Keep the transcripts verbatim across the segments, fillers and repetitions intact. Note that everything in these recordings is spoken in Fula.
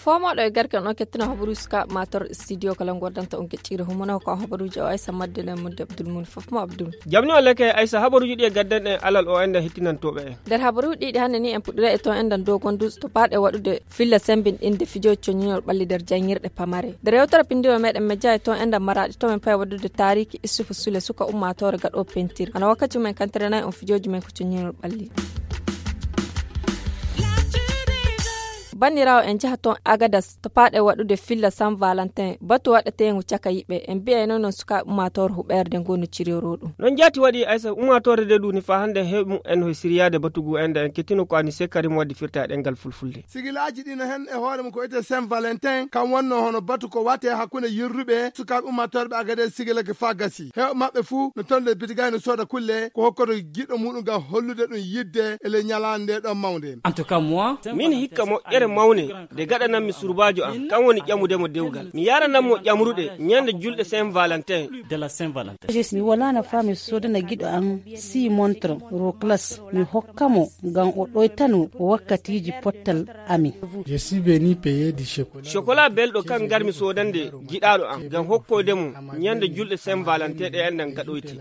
Ko mawɗo e garke on kettino habaruuji sukaaɓe matorɗe studio kala ngordanta on geccire humana ko habaruuji o Aysa Madde e Mudde Abdul Muni fof mo Abdul. Jamni o leke Aysa, habaruuji ɗi e gaddanɗen alal o enda hettinantooɓe en. Nder habaruuji ɗiɗi hannde ni en puɗɗira e ton endan dogonduuji to paaɗe waɗude filla sembinɗinde fijooji coñinol ɓalli nder janngirɗe pamare. Nder yewtere pinndiro meɗen mejja e ton endan maraɗi to men paye waɗude taariki Issufu Sule suka ummaatoore gaɗo pentir. Ana wakkati men kantere nayi on fijooji men ko coñinol ɓalli. Banniraawo en njaha toon Agadas to paaɗe waɗude filla San Valentin batu waɗeteengu caka yiɓe en mbiyayno noon sukaaɓe ummaatoore huɓeerde ngoo no ciriyoro ɗum. Noon jaati waɗi Aysa ummaatoore nde ɗum ni faa hannde heɓi mumen no siriyaade batugu en nde en kettino ko Anise Karim waɗi firta e ɗemngal fulfulde. Sigilaaji ɗi no heen e hoore mum ko wiyetee Saint Valentin kam wonnoo hono batu ko waɗetee hakkunde yirruɓe sukaaɓe ummaatoore ɓe Agadas sigilake faa gasi. Heewɓe maɓɓe fuu no toon ley bitigay no sooda kulle ko hokkoto giɗo muɗum ngam hollude ɗum yiɗde e ley ñalaande nde ɗon mawnde. Min hikka moƴƴere mawne nde gaɗanammi surbaajo am, kam woni ƴamude mo dewgal. Mi yaranammo ƴamruɗe ñande julɗe Saint Valentin. Mi walaano faa mi soodana giɗo am six montre Roclas mi hokka mo ngam o ɗoytano wakkatiiji pottal amin. Chocolat belɗo kan ngarmi soodande giɗaaɗo am ngam hokkoyde mo ñande julɗe Saint Valentin ɗe enɗan gaɗoyti.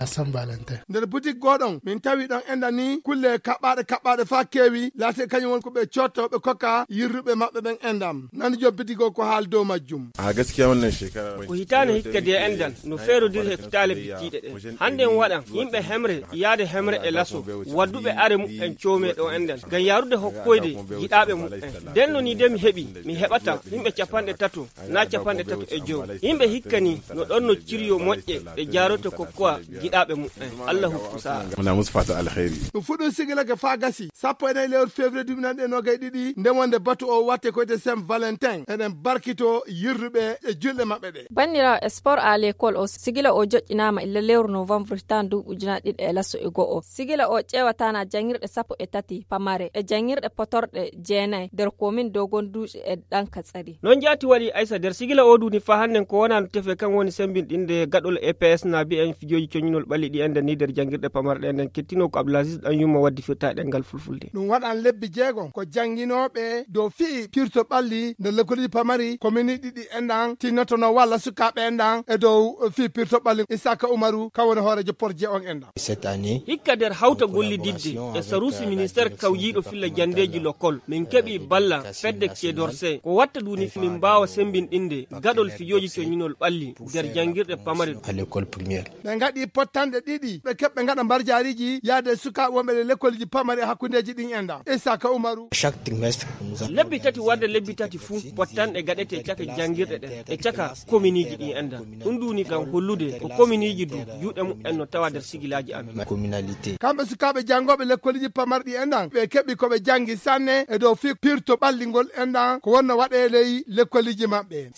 Nder butik gooɗon min tawi ɗon enɗan ni kulle kaɓɓaaɗe kaɓɓaaɗe faa keewi laati kañum won ko ɓe cootto ɓe kokka yirruɓe maɓɓe ɓen enɗam. Nani jom butik o ko haal dow majjum. A gaskiya wannan shekara ko hitaande hikka de enɗan no feerodiri e hitaale bittiiɗe ɗen. Hannde en waɗan yimɓe hemre yaade hemre e laso wadduɓe are muɓɓen coome ɗo enɗan ngam yarude hokkoyde jiɗaaɓe muɓɓen. Ndenno ni de mi heɓi mi heɓata yimɓe capanɗe tato na capanɗe tato e jow. Yimɓe hikka ni no ɗon no ciryo moƴƴe ɗe jaaroto kokkowa jiɗaaɓe muɓɓen. Allah hokku sa'a. Muna musu fata alkhairi. Ɗum fuɗɗum sigilake faa gasi sappo e nayi lewru février duuɓi nanɗe nogay ɗiɗi nde wonde batu o watte ko wiyetee Saint Valentin eɗen barkito yirruɓe e julɗe maɓɓe ɗe. Banniraawo e sport à l'école o sigila o joƴƴinaama illa lewru novembre hitaande duuɓi ujunaaji ɗiɗi e laso e go'o. Sigila o ƴeewataana janngirɗe sappo e tati pamare e janngirɗe potorɗe jeenayi nder komin dogonduuji e ɗanka tsari. Noon jaati waɗi Aysa nder sigila o duuni faa hannden ko wonaa no tefe kan woni sembinɗinde gaɗol E P S na bi'en fijooji coñinol ɓalli ɗi enɗan ni nder janngirɗe pamarɗe enɗan kettino ko Abdulaziz ɗan yumma waddi firta e ɗemngal fulfulde. Ɗum waɗan lebbi jeegom ko jannginooɓe dow fii pirto ɓalli nder lekkoliji pamari komini ɗiɗi enɗan tinnotono walla sukaaɓe enɗan e dow fii pirto ɓalli Isaka Umaru kan woni hooreejo porje on enɗan. Hikka nder hawta gollididde e saruusi ministeer kawjiiɗo filla janndeeji lokol min keɓi balla fedde kedorse ko watta duuni min mbaawa sembinɗinde gaɗol fijooji coñinol ɓalli nder janngirɗe pamari. Ɓe ngaɗi pottanɗe ɗiɗi ɓe keɓɓe ngaɗa mbarjaariji yaade sukaaɓe wonɓe ɗe lekkoliji pamari e hakkundeeji ɗin enɗan Isaka Umaru. Lebbi tati warde lebbi tati fuu pottanɗe gaɗete caka janngirɗe ɗen e caka kominiiji ɗin enɗan. Ɗum duuni ngam hollude ko kominiiji du juuɗe muɓɓen no tawa nder sigilaaji amin. Kamɓe sukaaɓe janngooɓe lekkoliji pamarɗi enɗan ɓe keɓi ko ɓe janngi sanne e dow fii pirto ɓallingol enɗan ko wonno waɗe ley lekkoliji maɓɓe.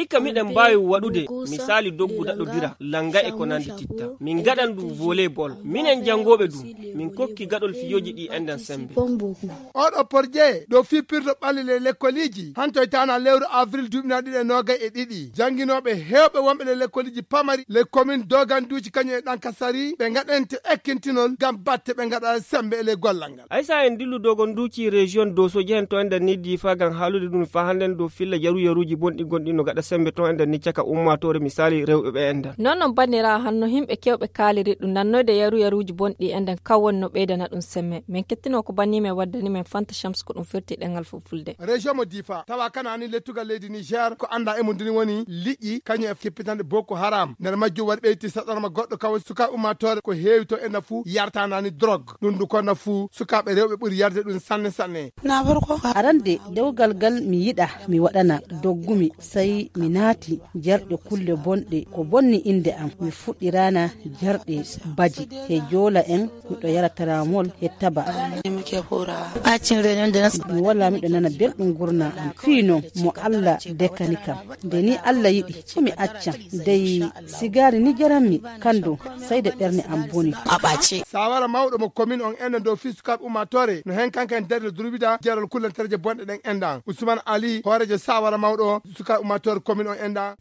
Hikka miɗen mbaawi waɗude misaali doggu daɗodira lannga e ko nanndi titta min ngaɗan ɗum volleyball minen janngooɓe du min kokki gaɗol fijooji ɗi enɗan semmbe. Oɗo porje dow fii pirto ɓalli ley lekkoliji hantoytaana lewru avril duuɓi na ɗiɗi e noogay e ɗiɗi jannginooɓe heewɓe wonɓe ley lekkoliji pamari ley komin doganduuji kañum e ɗankasari ɓe ngaɗante ekkintinol ngam batte ɓe ngaɗa semmbe e ley gollal ngal. Aysa en dillu dogonduuji région doso jehen to enɗan ni diifa ngam haalude ɗum faa hannden dow filla yaruyaruuji bonɗi gonɗi no gaɗa semmbe to enɗan ni caka ummaatoore misaali rewɓe ɓe enɗan. Noon noon banniraawo hanno yimɓe keewɓe kaaliri ɗum nannoyde yaruyaruuji bonɗi enɗan kan woni no ɓeydana ɗum semme min kettino ko bannimen waddani men fanta shams ko ɗum firti ɗemngal fulfulde. Région mo diifa tawa kanaani lettugal leydi niger ko annda e mum duni woni liƴƴi kañum e kippitanɗe boko haram nder majjum waɗi ɓeyti saɗorma goɗɗo kawa suka ummaatoore ko heewi to enɗan fuu yartanani drogue ɗum du konna fuu sukaaɓe rewɓe ɓuri yarde ɗum sanne sanne. Arande dewgal ngal mi yiɗa mi waɗana doggumi sey mi naati jarɗe kulle bonɗe ko bonni innde am mi fuɗɗirana jarɗe baji he joola en miɗo yara taramol he taba. Mi wala miɗo nana belɗum gurna am fii non mo allah dekani kam nde ni allah yiɗi mi accan dey sigaari ni jaranmi kandu sey de ɓernde am boni. Sawara mawɗo mo komin on enɗan dow fii sukaaɓe ummaatoore no heen kanka en darde durwida jeerol kullantereeje bonɗe ɗen enɗan usman ali hooreejo sawara mawɗo sukaaɓe ummaatoore komin on enɗan.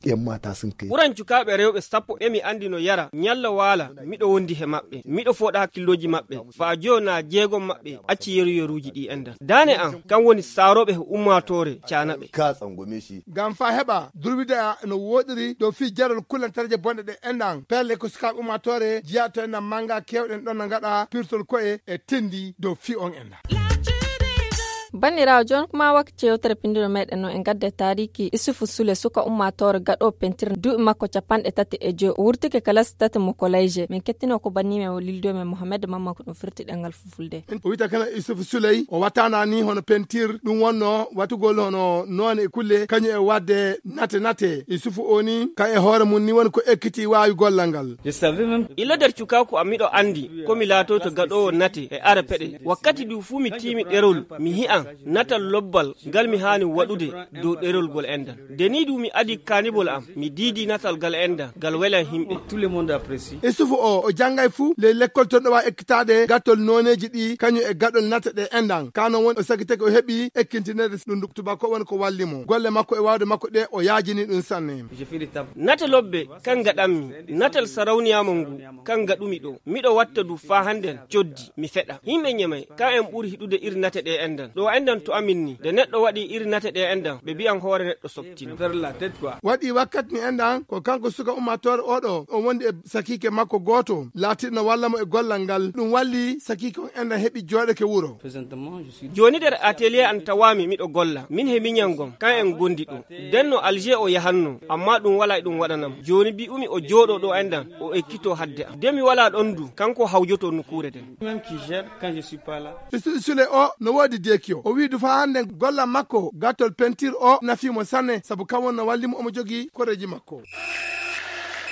Ɓuran cukaaɓe rewɓe sappo ɓe mi anndi no yara ñalla waala miɗo wondi he maɓɓe miɗo fooɗa hakkillooji maɓɓe faa joona jeegom maɓɓe acci yeruyeruuji ɗi enɗan daane am kam. Woni saarooɓe he ummaatoore caanaɓe. Ka tsangwame shi. Ngam faa heɓa durwida no wooɗiri dow fii jarol kullantarje bonɗe ɗe enɗan. Pelle ko sukaaɓe ummaatoore jiyaato enɗan mannga keewɗen ɗon no ngaɗa pirtol ko'e e tenndi dow fii on enɗan. Banniraawo, jooni kuma wakti yewtere pinndiro meeɗen no en ngadda e taariiki Isufu Sule, suka ummaatoore gaɗo pentir, duuɓi makko capanɗe tati e joy. O wurtike kalasi tati mo koleje. Min kettino ko banni men o lildo men Mohamed Mamma ko ɗum firti ɗemngal fulfulde. O wiyta kana Isufu Suley, o wattana ni hono pentir, ɗum wonno watugol hono noone e kulle, kañum e waɗde nate nate. Isufu o ni, ka e hoore mum ni woni ko ekkiti waawi gollal ngal. Ila nder cukaaku am miɗo anndi ko mi laatoyto gaɗoowo nate e ara peɗe. Wakkati du fuu mi tiimi ɗerol, mi hi'an natal lobbal ngal mi haani waɗude dow ɗerol gol enɗan. Nde ni du mi adi kaanibol am, mi diidi natal gal enɗan, gal welan himɓe. Isufu o, o janngay fuu ley lekkol ton ɗo waawi ekkitaade gattol nooneeji ɗi, kañum e gaɗol nate ɗe enɗan. Ka non woni o sagitake o heɓi ekkintinede ɗum ndu tubako woni ko walli mo. Golle makko e waawde makko ɗe o yaajini ɗum sanne. Nate lobbe kan gaɗanmi, natal sarawniyaamu ngu kan gaɗumi ɗo. Miɗo watta du faa hannden coddi, mi feɗa. Himɓe ñemay, ka en ɓuri hiɗude iri nate ɗe enɗan. Ɗo enɗan to amin ni, nde neɗɗo waɗi iri nate ɗe enɗan, ɓe mbi'an hoore neɗɗo soɓtino. Waɗi wakkati mi enɗan, ko kanko suka ummaatoore oɗo, o wondi e sakiike makko gooto, laatirno walla mo e gollal ngal. Ɗum walli sakiike on enɗan heɓi jooɗeke wuro. Jooni nder atelier an tawaami miɗo golla, min he miñan gom, kan en gondi ɗo. Denno Alger o yahanno, amma ɗum walaa e ɗum waɗanam. Jooni bi'umi o jooɗo ɗo enɗan, o ekkito hadde am. De mi walaa ɗon du, kanko hawjoto nokkuure nden. Même qui gère quand je suis pas là. Isufu Sule o no woodi deekiyo. O wi'i du faa hannde gollal makko gattol pentir o nafii mo sanne, sabu kam won no walli mo omo jogii koreeji makko.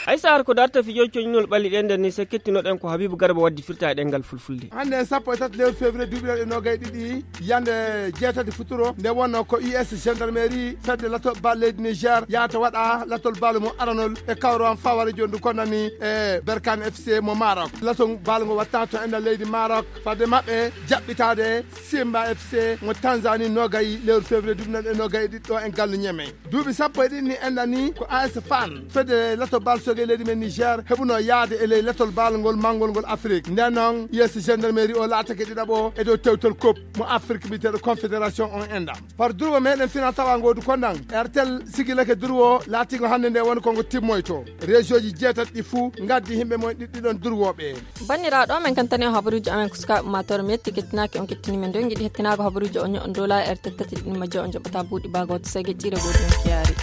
Hay so ar ko darta fijo coñnol ɓalli ɗen nden ni, se kettinoɗen ko Habibu Garba waddi firta e ɗemngal fulfulde. Hannde sappo e tati lewru février duuɓi ɗiɗi e noogay ɗiɗi, yande jeetati futuro, nde wonno ko U S gendarmerie fedde lato bal leydi Niger yahata waɗa latol bal mo aranol e kawro am faware jondu konnani e Berkane F C mo Maroc. Lato bal ngo watta to enɗan leydi Maroc fadde maɓɓe jaɓɓitaade Simba F C mo Tanzanie noogay lewru février duuɓi ɗiɗi e noogay ɗiɗi ɗo en gallu Ñeme. Duuɓi sappo e ɗiɗi ni enɗan ni ko A S Fan fedde lato bal soge leydi men Niger heɓuno yaade e ley latol bal ngol mangol ngol Afrique. Nden noon, yeeso gendarmerie o laatake ɗiɗaɓo e dow tewtol coupe mo Afrique mbiyeteeɗo confédération on enɗan. Par durwo meɗen fina tawa ngoodu kondan, R T L sigilake durwo laatigo hannde nde woni ko ngo timmoyto. Région ji jeetati ɗi fuu ngaddi himɓe mum ɗiɗɗi ɗon durwooɓe. Banniraaɗo, men kantani on habaruuji amen ko sukaaɓe ummaatoore. Mi yetti kettinaaki on kettini men. Nden ngiɗi hettinaago habaruuji on, nyo'on dow laayi R T L tati ɗiɗi majje on njoɓata buuɗi baago wata sege ƴiire gooto on kiyaari.